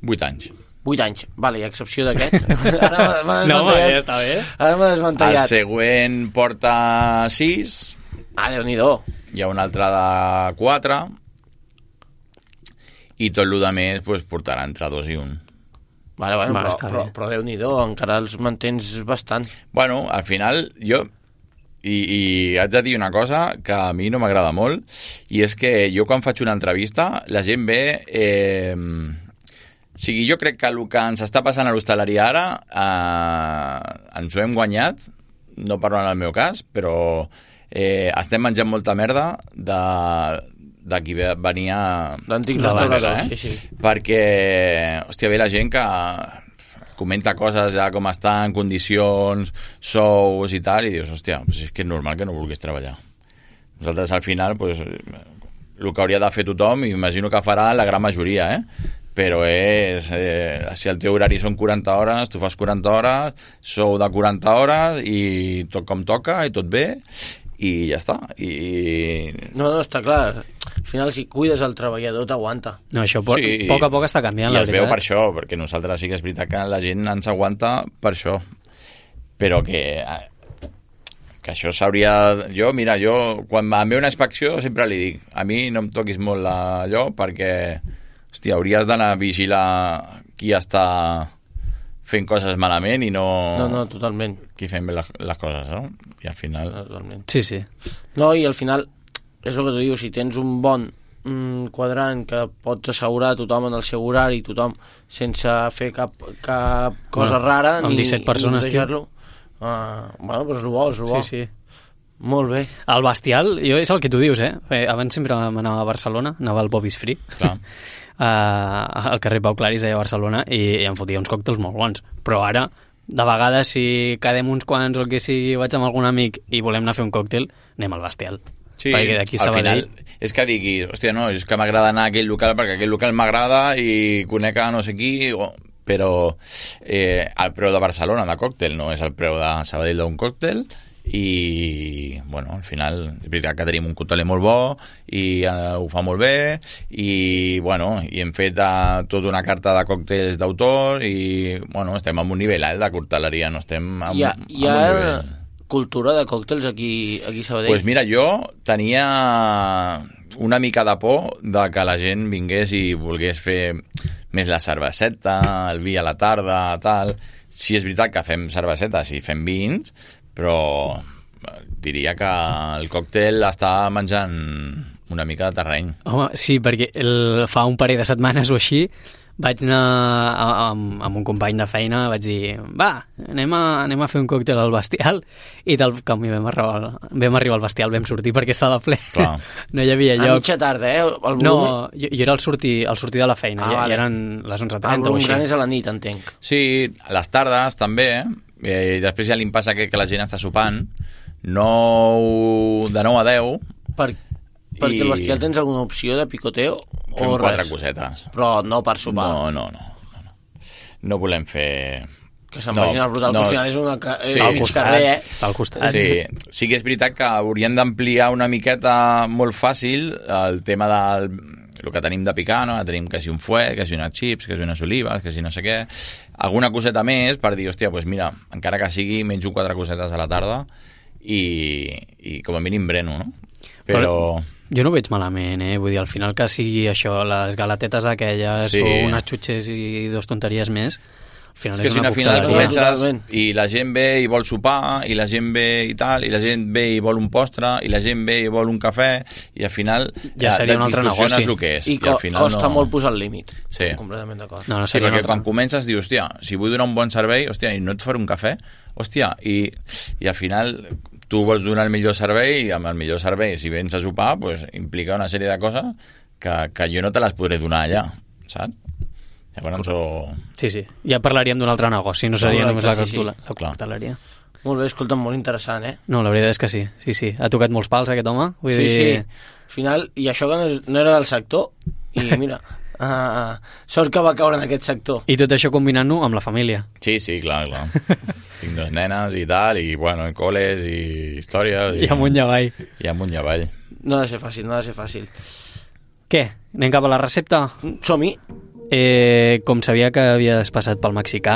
Vuit anys. Vuit anys, vale, i a excepció d'aquest. Ara m'ha no, desmantellat. ja està bé. Ara m'ha desmantellat. El següent porta sis. Ah, Déu-n'hi-do. Hi ha un altre de quatre. I tot el de més pues, portarà entre dos i un. Vale, bueno, Va, però, però, però Déu-n'hi-do, encara els mantens bastant. Bueno, al final, jo... I, i haig de dir una cosa que a mi no m'agrada molt, i és que jo quan faig una entrevista, la gent ve... Eh, o sigui, jo crec que el que ens està passant a l'hostaleria ara eh, ens ho hem guanyat, no parlo en el meu cas, però eh, estem menjant molta merda de, de qui venia... D'antics restauradors, eh? sí, sí. Perquè, hòstia, ve la gent que comenta coses ja com estan, condicions, sous i tal, i dius, hòstia, pues és que és normal que no vulguis treballar. Nosaltres al final, pues, el que hauria de fer tothom, i imagino que farà la gran majoria, eh? Però és, eh, si el teu horari són quaranta hores, tu fas quaranta hores, sou de quaranta hores, i tot com toca, i tot bé, i ja està. I... No, no, està clar. Al final, si cuides el treballador, t'aguanta. No, això po sí, poc a poc està canviant, i la es veritat. veu per això, perquè nosaltres sí que és veritat que la gent ens aguanta per això. Però que... que això s'hauria... Jo, mira, jo, quan em ve una inspecció, sempre li dic, a mi no em toquis molt allò, perquè, hòstia, hauries d'anar a vigilar qui està fent coses malament i no... No, no, totalment. Qui fem bé les, les coses, no? I al final... No, totalment. Sí, sí. No, i al final, és el que tu dius, si tens un bon mm, quadrant que pots assegurar tothom en el seu horari, tothom sense fer cap, cap cosa Bueno, rara, amb ni, disset persones, ni deixar-lo. Uh, bueno, doncs és bo, és bo. Sí, sí. Molt bé. El bestial, jo és el que tu dius, eh? eh abans sempre anava a Barcelona, anava al Bobby's Free, Clar. uh, al carrer Pau Claris a Barcelona, i, i em fotia uns còctels molt bons. Però ara, de vegades, si quedem uns quants o el que sigui, vaig amb algun amic i volem anar a fer un còctel, anem al bestial. Sí, perquè d'aquí al Sabadell... final és que digui, hòstia, no, és que m'agrada anar a aquell local perquè aquell local m'agrada i conec a no sé qui, o... però eh, el preu de Barcelona de còctel no és el preu de Sabadell d'un còctel, i bueno, al final és veritat que tenim un còctel molt bo i uh, ho fa molt bé, i bueno, i hem fet uh, tota una carta de còctels d'autor i bueno, estem en un nivell alt de cocteleria, no estem en, Hi ha, en hi ha un nivell... cultura de còctels aquí, aquí a Sabadell? Pues mira, jo tenia una mica de por de que la gent vingués i volgués fer més la cerveseta, el vi a la tarda, tal. Sí, és veritat que fem cervesetes i fem vins, però diria que el còctel està menjant una mica de terreny. Home, sí, perquè el, fa un parell de setmanes o així vaig anar a, a, amb un company de feina, vaig dir, va, anem a, anem a fer un còctel al Bestial, i tal com vam arribar, vam arribar al Bestial vam sortir perquè estava ple. Clar. No hi havia A lloc. mitja tarda, eh? El volum... No, jo, jo era al sortir, al sortir de la feina, Ah, ja, vale. ja eren les onze El trenta o volum així. gran és a la nit, entenc. Sí, a les tardes també, eh? I després ja li passa que, que la gent està sopant, nou, de nou a deu, Per, perquè I- al Bestial tens alguna opció de picoteo fem o quatre res? cosetes. Però no per sopar. No, no, no, no, no. No volem fer Que se'n vagin al brutal, no, al final és una ca... sí. al costat, carrer, eh? Està al costat. Sí, sí que és veritat que haurien d'ampliar una miqueta molt fàcil el tema del el que tenim de picar, no? Tenim que si un fuet, que si unes chips, que si unes olives, que si no sé què. Alguna coseta més per dir, hòstia, doncs mira, encara que sigui, menjo quatre cosetes a la tarda i, i com a mínim breno, no? Però... Però jo no ho veig malament, eh? Vull dir, al final que sigui això, les galatetes aquelles sí. o unes xutxes i dos tonteries més, al final és, és que si una al final cocteleria. comences i la gent ve i vol sopar i la gent ve i tal, i la gent ve i vol un postre i la gent ve i vol un cafè i al final ja seria un altre negoci el que és, i, i al final costa no... molt posar el límit, sí. completament d'acord. No, no sí, perquè altre... quan comences dius, hòstia, si vull donar un bon servei, hòstia, i no et faré un cafè, hòstia, i, i al final tu vols donar el millor servei i amb el millor servei, si vens a sopar, pues, implica una sèrie de coses que, que jo no te les podré donar allà, saps? Llavors, o... Sí, sí, ja parlaríem d'un altre negoci, no seria Correcte, només la, sí, sí. coctela, la cocteleria. Molt bé, escolta, molt interessant, eh? No, la veritat és que sí, sí, sí. Ha tocat molts pals aquest home. Vull sí, dir... sí, al final, i això que no, és, no era del sector, i mira, uh, sort que va caure en aquest sector. I tot això combinant-ho amb la família. Sí, sí, clar, clar. Tinc dos nenes i tal, i bueno, i col·les, i històries... I, I amunt i avall. I amunt i avall. No ha de ser fàcil, no ha de ser fàcil. Què? Anem cap a la recepta? Som-hi. Eh, com sabia que havies passat pel mexicà,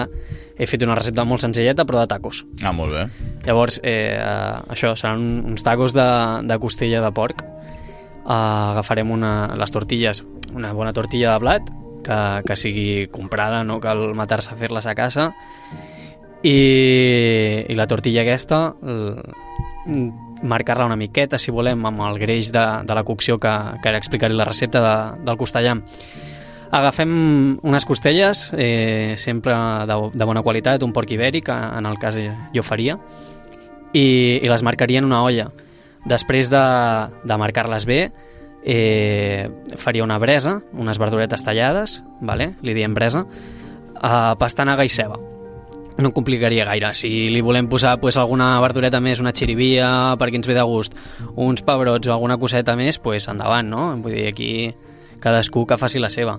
he fet una recepta molt senzilleta, però de tacos. Ah, molt bé. Llavors, eh, eh, això, seran uns tacos de, de costella de porc. Eh, agafarem una, les tortilles, una bona tortilla de blat, que, que sigui comprada, no cal matar-se a fer-les a casa. I, i la tortilla aquesta, el, marcar-la una miqueta, si volem, amb el greix de, de la cocció que, que ara explicaré la recepta de, del costellam. Agafem unes costelles, eh, sempre de, de bona qualitat, un porc ibèric, en el cas jo faria, i, i les marcaria en una olla. Després de, de marcar-les bé, eh, faria una bresa, unes verduretes tallades, vale? Li diem bresa, eh, pastanaga i ceba. No complicaria gaire. Si li volem posar pues, alguna verdureta més, una xirivia, perquè ens ve de gust, uns pebrots o alguna coseta més, pues, endavant, no? Vull dir, aquí cadascú que faci la seva.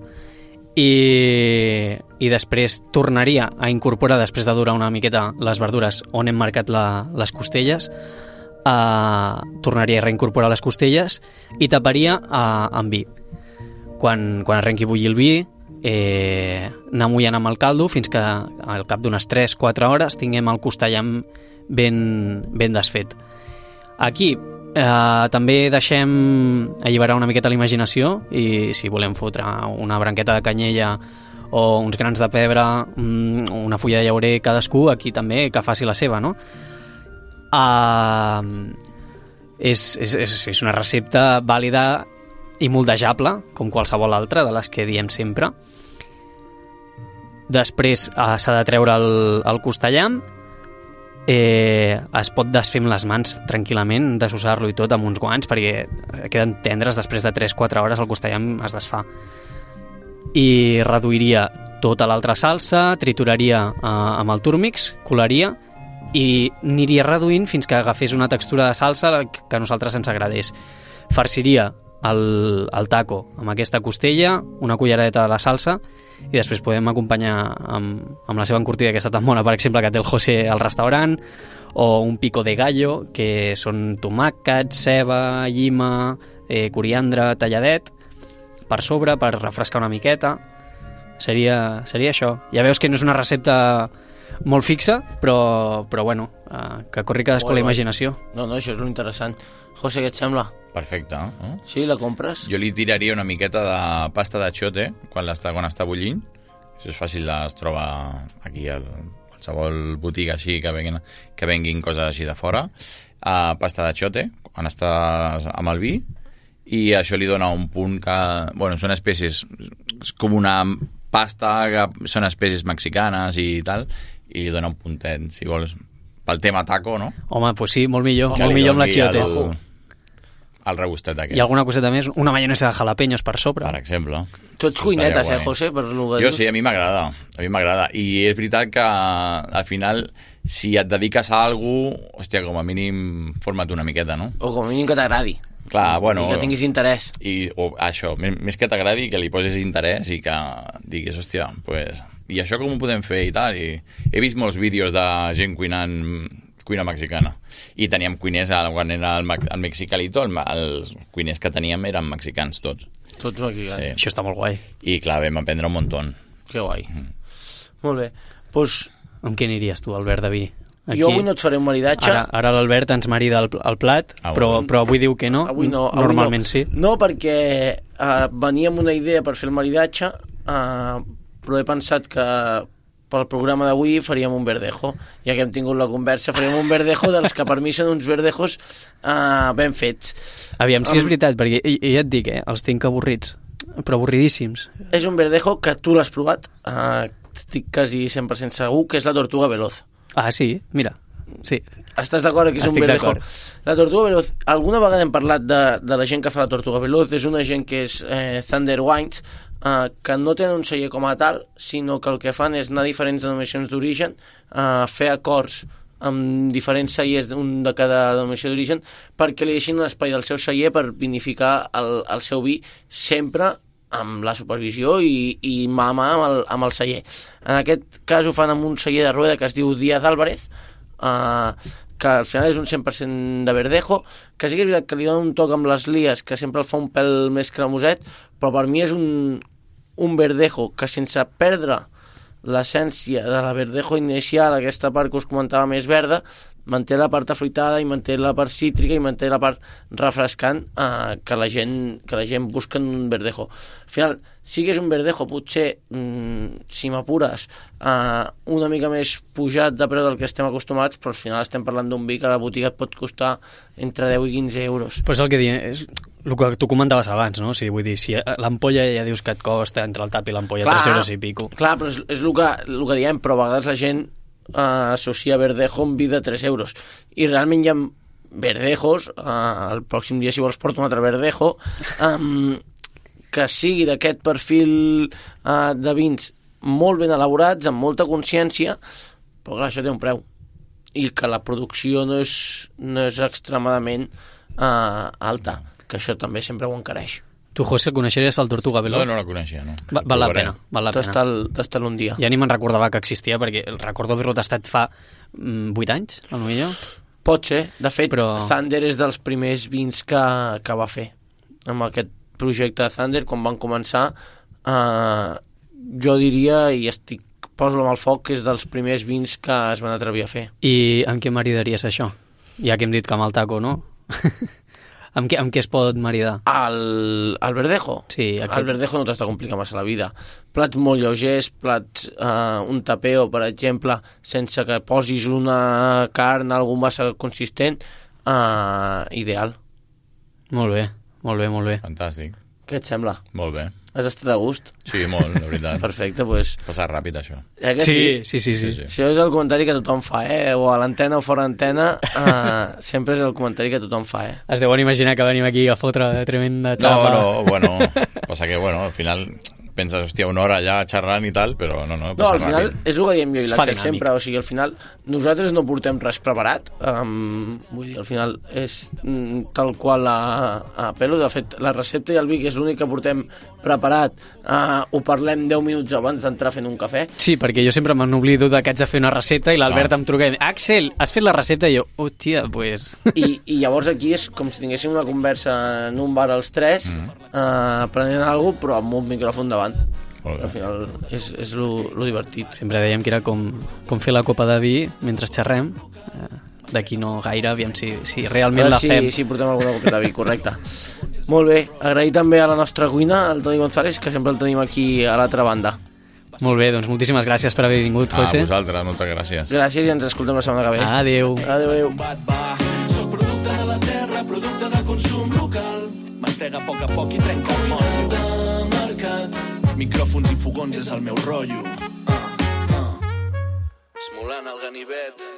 I, i després tornaria a incorporar, després de durar una miqueta les verdures on hem marcat la, les costelles, eh, tornaria a reincorporar les costelles i taparia eh, amb vi. Quan, quan arrenqui a bullir el vi, eh, anar mullant amb el caldo fins que al cap d'unes tres quatre hores tinguem el costellam ben, ben desfet. Aquí eh, també deixem alliberar una miqueta la imaginació i si volem fotre una branqueta de canyella o uns grans de pebre, una fulla de llaurer, cadascú aquí també que faci la seva, no? Uh, és, és, és, és una recepta vàlida i moldejable, com qualsevol altra de les que diem sempre. Després uh, s'ha de treure el, el costellam. Eh, es pot desfer amb les mans tranquil·lament, desossar-lo i tot amb uns guants perquè queden tendres, després de tres quatre hores el costellam es desfà. I reduiria tota l'altra salsa, trituraria eh, amb el turmix, colaria i aniria reduint fins que agafés una textura de salsa que a nosaltres ens agradés. Farciria el, el taco amb aquesta costella, una culleradeta de la salsa i després podem acompanyar amb, amb la seva encurtida que està tan bona, per exemple, que té el José al restaurant, o un pico de gallo, que són tomàquet, ceba, llima, eh, coriandre, talladet, per sobre, per refrescar una miqueta. Seria, seria això. Ja veus que no és una recepta molt fixa, però, però bueno, eh, que corri cadascú la imaginació. No, no, això és l'interessant. José, què et sembla? Perfecte. Eh? Sí, la compres? Jo li tiraria una miqueta de pasta de xote quan està, quan està bullint. Això és fàcil, es troba aquí a qualsevol botiga així que venguin, que venguin coses així de fora. Uh, pasta de xote, quan està amb el vi, i això li dona un punt que... Bueno, són espècies... És com una pasta que són espècies mexicanes i tal, i li dona un puntet, si vols, pel tema taco, no? Home, doncs pues sí, molt millor, que molt millor amb la chiyote. El, el regustet aquest. I alguna coseta més? Una maionesa de jalapeños per sobre. Per exemple. Tu ets cuinetes, eh, José? Per lo que jo dius. sí, a mi m'agrada. A mi m'agrada. I és veritat que al final, si et dediques a alguna cosa, hòstia, com a mínim, forma't una miqueta, no? O com a mínim que t'agradi. Clar, bueno... I que tinguis interès. I o, això, més, més que t'agradi, que li posis interès i que diguis, hòstia, pues, i això com ho podem fer i tal, i he vist molts vídeos de gent cuinant cuina mexicana, i teníem cuiners quan era el, el Mexicalito, el, els cuiners que teníem eren mexicans tots. Tots mexicans. Sí. Això està molt guai. I clar, vam aprendre un muntó. Que guai. Mm. Molt bé. Pues... Amb què aniries tu, Albert Daví? Aquí. Jo avui no et faré un maridatge. Ara, ara l'Albert ens marida el, el plat, ah, però, però avui diu que no. Avui no. Avui Normalment no. sí. No, perquè uh, venia amb una idea per fer el maridatge, uh, però he pensat que pel programa d'avui faríem un verdejo. Ja que hem tingut la conversa, faríem un verdejo dels que per mi són uns verdejos uh, ben fets. Aviam, si um, és veritat, perquè ja et dic, eh, els tinc avorrits, però avorridíssims. És un verdejo que tu l'has provat, uh, estic quasi cent per cent segur, que és la tortuga veloz. Ah, sí? Mira, sí. Estàs d'acord que és Estic un verdejo? La tortuga veloz, alguna vegada hem parlat de, de la gent que fa la tortuga veloz, és una gent que és eh, Thunder Wines, eh, que no tenen un celler com a tal, sinó que el que fan és anar a diferents denominacions d'origen, eh, fer acords amb diferents cellers, un de cada denominació d'origen, perquè li deixin un espai del seu celler per vinificar el, el seu vi sempre amb la supervisió i, i mà a mà amb el, amb el celler. En aquest cas ho fan amb un celler de Rueda que es diu Díaz Álvarez, eh, que al final és un cent per cent de verdejo, que sí que és veritat que li dona un toc amb les lies, que sempre el fa un pèl més cremoset, però per mi és un, un verdejo que sense perdre l'essència de la verdejo inicial, aquesta part que us comentava més verda, manté la part afruitada i manté la part cítrica i manté la part refrescant eh, que, la gent, que la gent busca en un verdejo. Al final, sí que és un verdejo, potser, mm, si m'apures, eh, una mica més pujat de preu del que estem acostumats, però al final estem parlant d'un vi que a la botiga et pot costar entre deu i quinze euros. Però és el que diem, és el que tu comentaves abans, no? O sigui, vull dir, si l'ampolla ja dius que et costa entre el tap i l'ampolla tres euros i pico. Clar, però és, és el, que, el que diem, però a vegades la gent Uh, associa verdejo amb vi de tres euros i realment hi ha verdejos, uh, el pròxim dia si vols porto un altre verdejo, um, que sigui d'aquest perfil uh, de vins molt ben elaborats, amb molta consciència, però clar, això té un preu i que la producció no és, no és extremadament uh, alta, que això també sempre ho encareix. Tu, José, coneixeries el Tortuga Veloz? No, no la coneixia, no. Va, val la pena, val la pena. Tastar un dia. Ja ni me'n recordava que existia, perquè el recordo haver-lo tastat fa mm, vuit anys, a lo millor. Pot ser. De fet, Però... Thunder és dels primers vins que, que va fer. Amb aquest projecte de Thunder, quan van començar, eh, jo diria, i estic poso-lo amb el foc, que és dels primers vins que es van atrevir a fer. I amb què maridaries això? Ja que hem dit que amb el taco, no? Amb què, amb què es pot maridar? El, el verdejo? Sí, aquest... El verdejo no t'has de complicar massa la vida. Plats molt lleugers, plats, eh, un tapeo, per exemple, sense que posis una carn, algun massa consistent, eh, ideal. Molt bé, molt bé, molt bé. Fantàstic. Què et sembla? Molt bé. Has estat a gust? Sí, molt, la veritat. Perfecte, doncs... Pues... Passar ràpid, això. Eh que sí, sí, sí, sí, sí. Això és el comentari que tothom fa, eh? O a l'antena o fora antena, eh, sempre és el comentari que tothom fa, eh? Es deuen imaginar que venim aquí a fotre tremenda xapa. No, no, bueno, passa que, bueno, al final penses, hòstia, una hora allà xerrant i tal, però no, no, no, passa al final ràpid. és el que diem jo i Es fa l'Àxel dinàmic. sempre, o sigui, al final nosaltres no portem res preparat, um, vull dir, al final és mm, tal qual a, a pelo, de fet la recepta i el vi, que és l'únic que portem preparat, uh, ho parlem deu minuts abans d'entrar fent un cafè. Sí, perquè jo sempre me n'oblido que haig de fer una recepta i l'Albert No. em truca i diu, Àxel, has fet la recepta? I jo, hòstia, pues... I, i llavors aquí és com si tinguéssim una conversa en un bar els tres, mm. uh, prenent alguna cosa, però amb un micròfon davant. Al final és, és lo, lo divertit. Sempre dèiem que era com, com fer la copa de vi mentre xerrem. Eh, D'aquí no gaire, aviam si, si realment la si, fem. si portem alguna copeta de vi, correcte. Molt bé, agrair també a la nostra cuina, al Toni González, que sempre el tenim aquí a l'altra banda. Molt bé, doncs moltíssimes gràcies per haver vingut, Ah, José. vosaltres, moltes gràcies. Gràcies i ens escoltem la setmana que ve. Adéu. Adéu, adéu. Soc producte de la terra, producte de consum local. Mastega a poc a poc i trenca el motllo. De mercat. Micròfons i fogons és el meu rotllo. Uh, uh. Esmolant el ganivet.